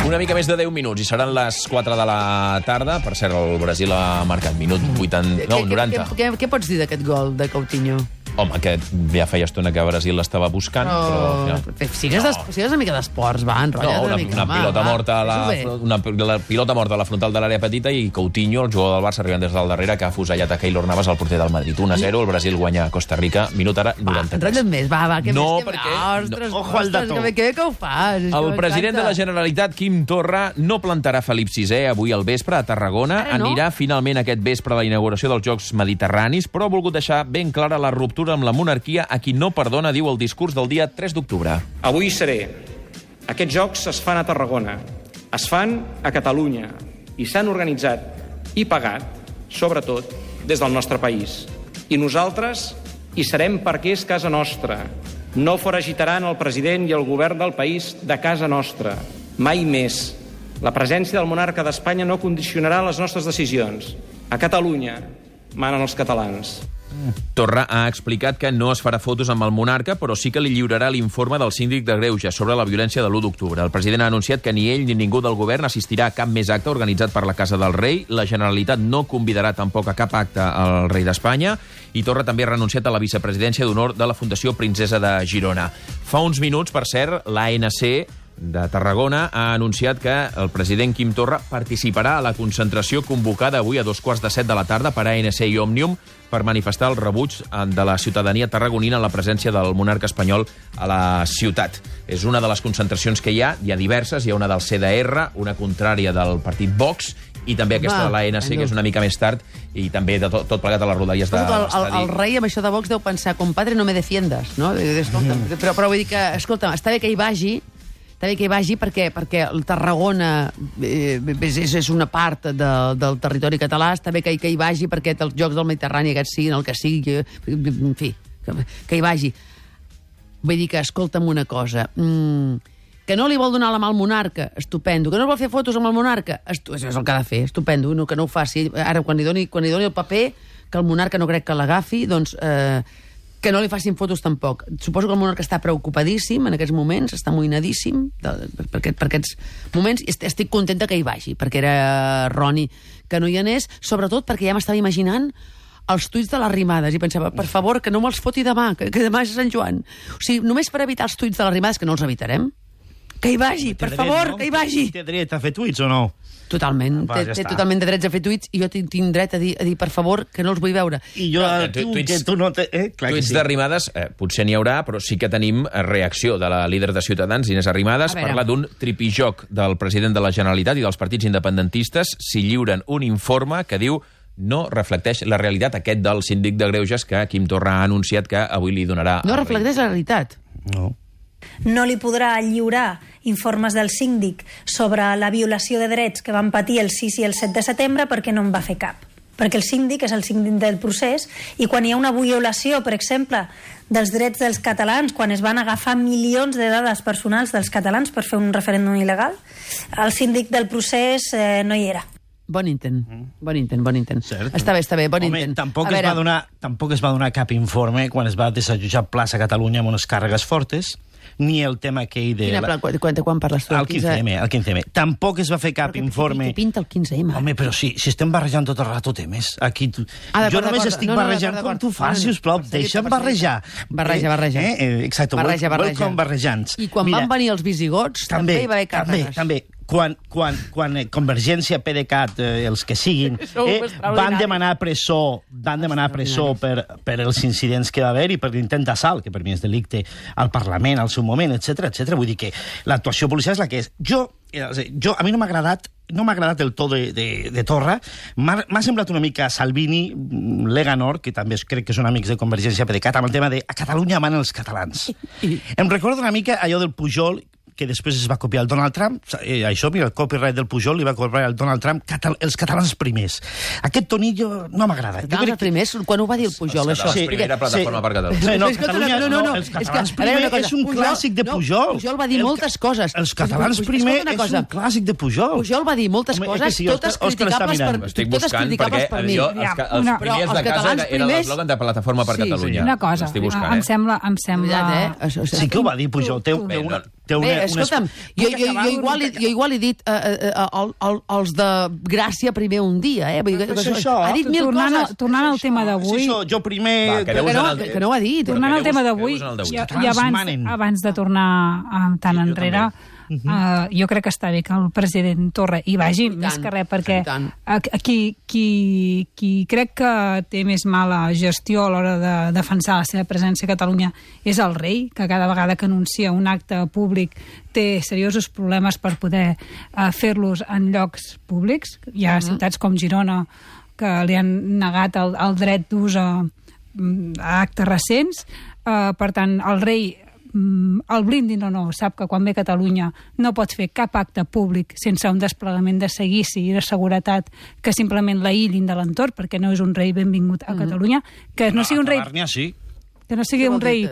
Una mica més de 10 minuts i seran les 4 de la tarda. Per cert, el Brasil ha marcat minut 80... No, 90. Què pots dir d'aquest gol de Coutinho? Home, que ja feia estona que Brasil l'estava buscant, però... Sigues una mica d'esports, va, enrotlla't una mica. Una pilota morta a la frontal de l'àrea petita i Coutinho, el jugador del Barça, arribant des del darrere, que ha fusellat a Keylor Navas, el porter del Madrid. 1-0, el Brasil guanya a Costa Rica, minut ara 93. Enrotlla't més, va, que no, més perquè... Ostres, que bé que ho fas. El president de la Generalitat, Quim Torra, no plantarà Felip VI avui al vespre a Tarragona. Anirà finalment aquest vespre a la inauguració dels Jocs Mediterranis, però ha volgut deixar ben clara la ruptura amb la monarquia a qui no perdona, diu el discurs del dia 3 d'octubre. Avui seré. Aquests jocs es fan a Tarragona, es fan a Catalunya i s'han organitzat i pagat, sobretot, des del nostre país. I nosaltres hi serem perquè és casa nostra. No foragitaran el president i el govern del país de casa nostra. Mai més. La presència del monarca d'Espanya no condicionarà les nostres decisions. A Catalunya manen els catalans. Torra ha explicat que no es farà fotos amb el monarca, però sí que li lliurarà l'informe del síndic de Greuges sobre la violència de l'1 d'octubre. El president ha anunciat que ni ell ni ningú del govern assistirà a cap més acte organitzat per la Casa del Rei. La Generalitat no convidarà tampoc a cap acte al rei d'Espanya. I Torra també ha renunciat a la vicepresidència d'honor de la Fundació Princesa de Girona. Fa uns minuts, per cert, l'ANC de Tarragona ha anunciat que el president Quim Torra participarà a la concentració convocada avui a 2:15 de la tarda per ANC i Òmnium per manifestar el rebuig de la ciutadania tarragonina en la presència del monarca espanyol a la ciutat. És una de les concentracions que hi ha diverses. Hi ha una del CDR, una contrària del partit Vox i també aquesta de l'ANC, que és una mica més tard, i també de tot plegat a les rodalies de l'estadi. El rei amb això de Vox deu pensar, compadre, no me defiendas, no? Però vull dir que, escolta, està bé que hi vagi, perquè el Tarragona és una part del territori català, està bé que hi vagi perquè els Jocs del Mediterrani aquests siguin el que sigui, en fi, que hi vagi. Vull dir que, escolta'm una cosa, que no li vol donar la mà al monarca, estupendo. Que no vol fer fotos amb el monarca, això és el que ha de fer, estupendo, que no ho faci. Ara, quan li doni el paper, que el monarca no crec que l'agafi, doncs... que no li facin fotos tampoc. Suposo que el monarca està preocupadíssim en aquests moments, està amoïnadíssim per aquests moments, i estic contenta que hi vagi, perquè era erroni que no hi anés, sobretot perquè ja m'estava imaginant els tuits de les rimades, i pensava, per favor, que no me'ls foti demà, que demà és Sant Joan. O sigui, només per evitar els tuits de les rimades, que no els evitarem, que hi vagi, per favor, que hi vagi. Té dret a fer tuits o no? Totalment, té totalment de drets a fer tuits, i jo tinc dret a dir, per favor, que no els vull veure. I jo, que tu no té... Tuits de Arrimadas, potser n'hi haurà, però sí que tenim reacció de la líder de Ciutadans, Inés Arrimadas, parla d'un tripijoc del president de la Generalitat i dels partits independentistes si lliuren un informe que diu no reflecteix la realitat, aquest del síndic de Greuges que Quim Torra ha anunciat que avui li donarà... No reflecteix la realitat? No. No li podrà lliurar informes del síndic sobre la violació de drets que van patir el 6 i el 7 de setembre perquè no en va fer cap. Perquè el síndic és el síndic del procés i quan hi ha una violació, per exemple, dels drets dels catalans, quan es van agafar milions de dades personals dels catalans per fer un referèndum il·legal, el síndic del procés no hi era. Bon intent. Cert. Està bé, bon intent. Tampoc es va donar cap informe quan es va desallotjar Plaça Catalunya amb unes càrregues fortes, ni el tema aquell de... Quan parles tu? El 15M. Tampoc es va fer cap informe... Què pinta el 15M? Home, però sí, si estem barrejant tot el rato temes. Aquí jo només estic barrejant com tu fas, sisplau. Deixa'm barrejar. Barreja. Exacte, welcome barrejants. I quan van venir els visigots, també hi va haver càrregues. També. Quan Convergència, PDeCAT, els que siguin, van demanar presó per els incidents que va haver i per l'intent d'assalt, que per mi és delicte al Parlament al seu moment, etc. Vull dir que l'actuació policial és la que és. A mi no m'ha agradat el to de Torra. M'ha semblat una mica Salvini, Leganor, que també crec que són amics de Convergència, PDeCAT, amb el tema de a Catalunya manen els catalans. Em recorda una mica allò del Pujol, que després es va copiar el Donald Trump. Això, mira, el copyright del Pujol li va copiar el Donald Trump, els catalans primers. Aquest tonillo no m'agrada. Els catalans primers? Quan ho va dir el Pujol, això? Els catalans primera plataforma per Catalunya. No, els catalans primers és un clàssic de Pujol. Pujol va dir moltes coses. Els catalans primers és un clàssic de Pujol. Pujol va dir moltes coses, totes criticables per mi. Estic buscant perquè els primers de casa era l'eslògan de Plataforma per Catalunya. Una cosa, em sembla... Sí que ho va dir Pujol. Bé, escolta'm, jo igual he dit els de Gràcia primer un dia, eh? Ha dit mil coses. Tornant al tema d'avui... Jo primer... Que no ho ha dit. Tornant al tema d'avui, i abans de tornar tan enrere, jo crec que està bé que el president Torra hi vagi, més que res, perquè qui crec que té més mala gestió a l'hora de defensar la seva presència a Catalunya és el rei, que cada vegada que anuncia un acte públic té seriosos problemes per poder fer-los en llocs públics. Hi ha ciutats com Girona que li han negat el dret d'ús a actes recents. Per tant, el rei, el blindin o no, sap que quan ve a Catalunya no pot fer cap acte públic sense un desplegament de seguici i de seguretat que simplement l'aïllin de l'entorn, perquè no és un rei benvingut a Catalunya. Que no sigui un rei... Que no sigui un rei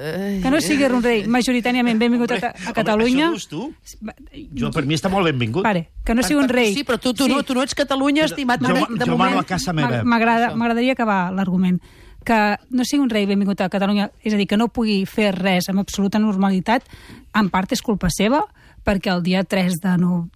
majoritàriament benvingut a Catalunya. Això dius tu? Jo, per mi està molt benvingut. Que no sigui un rei... Sí, però tu no ets Catalunya, estimat. Jo mano a casa meva. M'agradaria acabar l'argument. Que no sigui un rei benvingut a Catalunya, és a dir, que no pugui fer res amb absoluta normalitat, en part és culpa seva, perquè el dia 3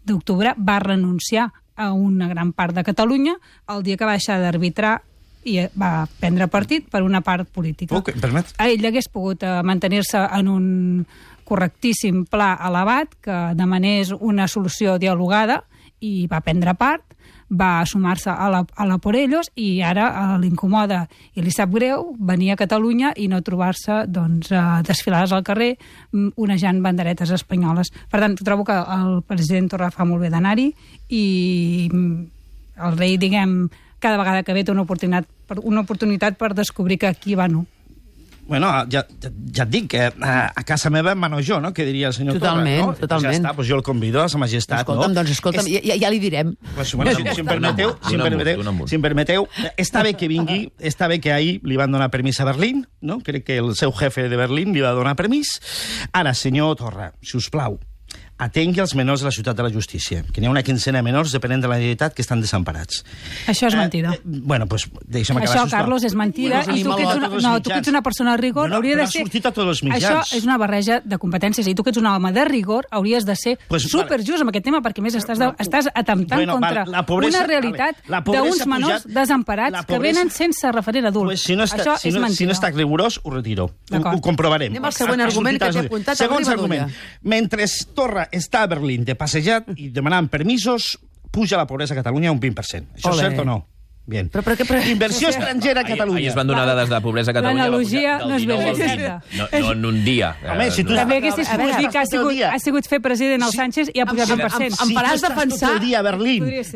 d'octubre va renunciar a una gran part de Catalunya el dia que va deixar d'arbitrar i va prendre partit per una part política. Permet. Ell hagués pogut mantenir-se en un correctíssim pla elevat que demanés una solució dialogada i va prendre part, va sumar-se a la por ellos i ara l'incomoda i li sap greu venir a Catalunya i no trobar-se desfilades al carrer onejant banderetes espanyoles. Per tant, trobo que el president Torra fa molt bé d'anar-hi i el rei, diguem, cada vegada que ve té una oportunitat per descobrir que aquí va no. Bueno, ja et dic que a casa meva em mano jo, no?, que diria el senyor Torra, no? Totalment. Ja està, doncs jo el convido a sa majestat, no? Escolta'm, ja li direm. Si em permeteu, està bé que vingui, està bé que ahir li van donar permís a Berlín, no? Crec que el seu jefe de Berlín li va donar permís. Ara, senyor Torra, si us plau, atengui els menors de la ciutat de la justícia, que n'hi ha una quincena de menors, depenent de la Generalitat, que estan desemparats. Això és mentida. Bueno, doncs deixa'm acabar. Això, Carlos, és mentida. I tu que ets una persona de rigor, hauria de ser... Ha sortit a tots els mitjans. Això és una barreja de competències. I tu que ets un home de rigor, hauries de ser superjust amb aquest tema, perquè més estàs atemptant contra una realitat d'uns menors desemparats que venen sense referent adult. Això és mentida. Si no està rigorós, ho retiro. Ho comprovarem. Anem al següent argument que t'he apuntat. Segons argument. Mentre Torra està a Berlín de passejat i demanant permisos, puja la pobresa a Catalunya un 20%. Això és cert o no? Bien. Però inversió estrangera a Catalunya. Ahir es van donar dades de pobresa a Catalunya. L'analogia no és ben certa. No en un dia. Home, si tu... També haguessis pogut dir que ha sigut fer president el Sánchez i ha pujat 20%. Em faràs defensar...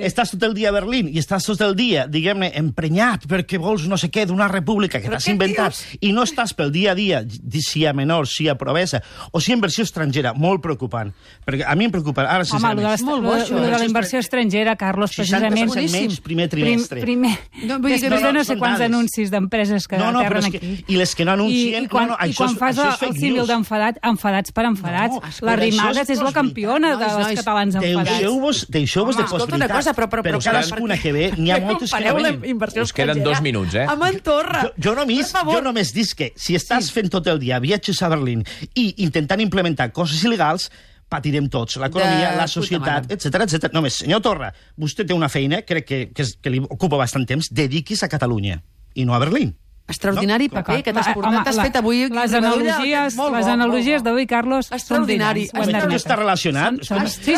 Estàs tot el dia a Berlín i estàs tot el dia, diguem-ne, emprenyat perquè vols no sé què d'una república que t'has inventat i no estàs pel dia a dia, si a menors, si a pobresa o si a inversió estrangera. Molt preocupant. Perquè a mi em preocupa... Home, de la inversió estrangera, Carlos, precisament... 60% menys primer trimestre. Després de no sé quants anuncis d'empreses que aterren aquí. I les que no anuncien... I quan fas el símil enfadats per enfadats, l'arribada és la campiona dels catalans enfadats. Deixeu-vos de possibilitats. Però cadascuna que ve, n'hi ha moltes que no venen. Us queden 2 minuts, eh? Amb en Torra. Jo només dic que si estàs fent tot el dia viatges a Berlín i intentant implementar coses il·legals, patirem tots, l'economia, la societat, etc. Només, senyor Torra, vostè té una feina, crec que li ocupa bastant temps, dediquis a Catalunya i no a Berlín. Extraordinari paper que t'has fet avui. Les analogies d'avui, Carlos, són extraordinari. Això està relacionat? Sí.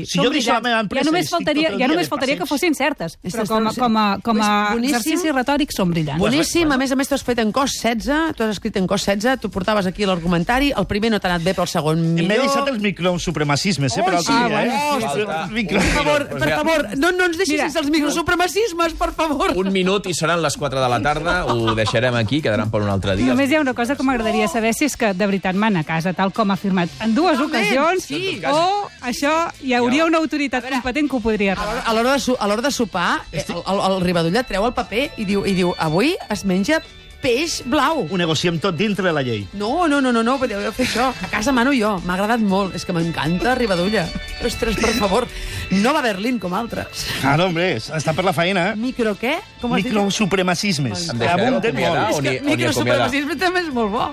Si jo deixo la meva empresa... Ja només faltaria que fossin certes, però com a exercici retòric són brillants. Boníssim, a més tu has fet en cos 16, tu has escrit en cos 16, tu portaves aquí l'argumentari, el primer no t'ha anat bé, però el segon millor. M'he deixat els microsupremacismes, per altre dia, Per favor, no ens deixis sense els microsupremacismes, per favor. Un minut i seran les 4 de la tarda, ho deixarem aquí, quedaran per un altre dia. Només hi ha una cosa que m'agradaria saber, si és que de veritat man a casa, tal com ha afirmat en 2 ocasions, o això hi hauria una autoritat competent que ho podria arreglar. A l'hora de sopar, el Rivadulla treu el paper i diu avui es menja peix blau. Ho negociem tot dintre de la llei. No, podeu fer això. A casa mano jo. M'ha agradat molt. És que m'encanta Rivadulla. Ostres, per favor. No va a Berlín com altres. Ara, hombre, està per la feina. Micro què? Microsupremacismes. Em deixareu acomiadar o ni acomiadar? Microsupremacisme també és molt bo.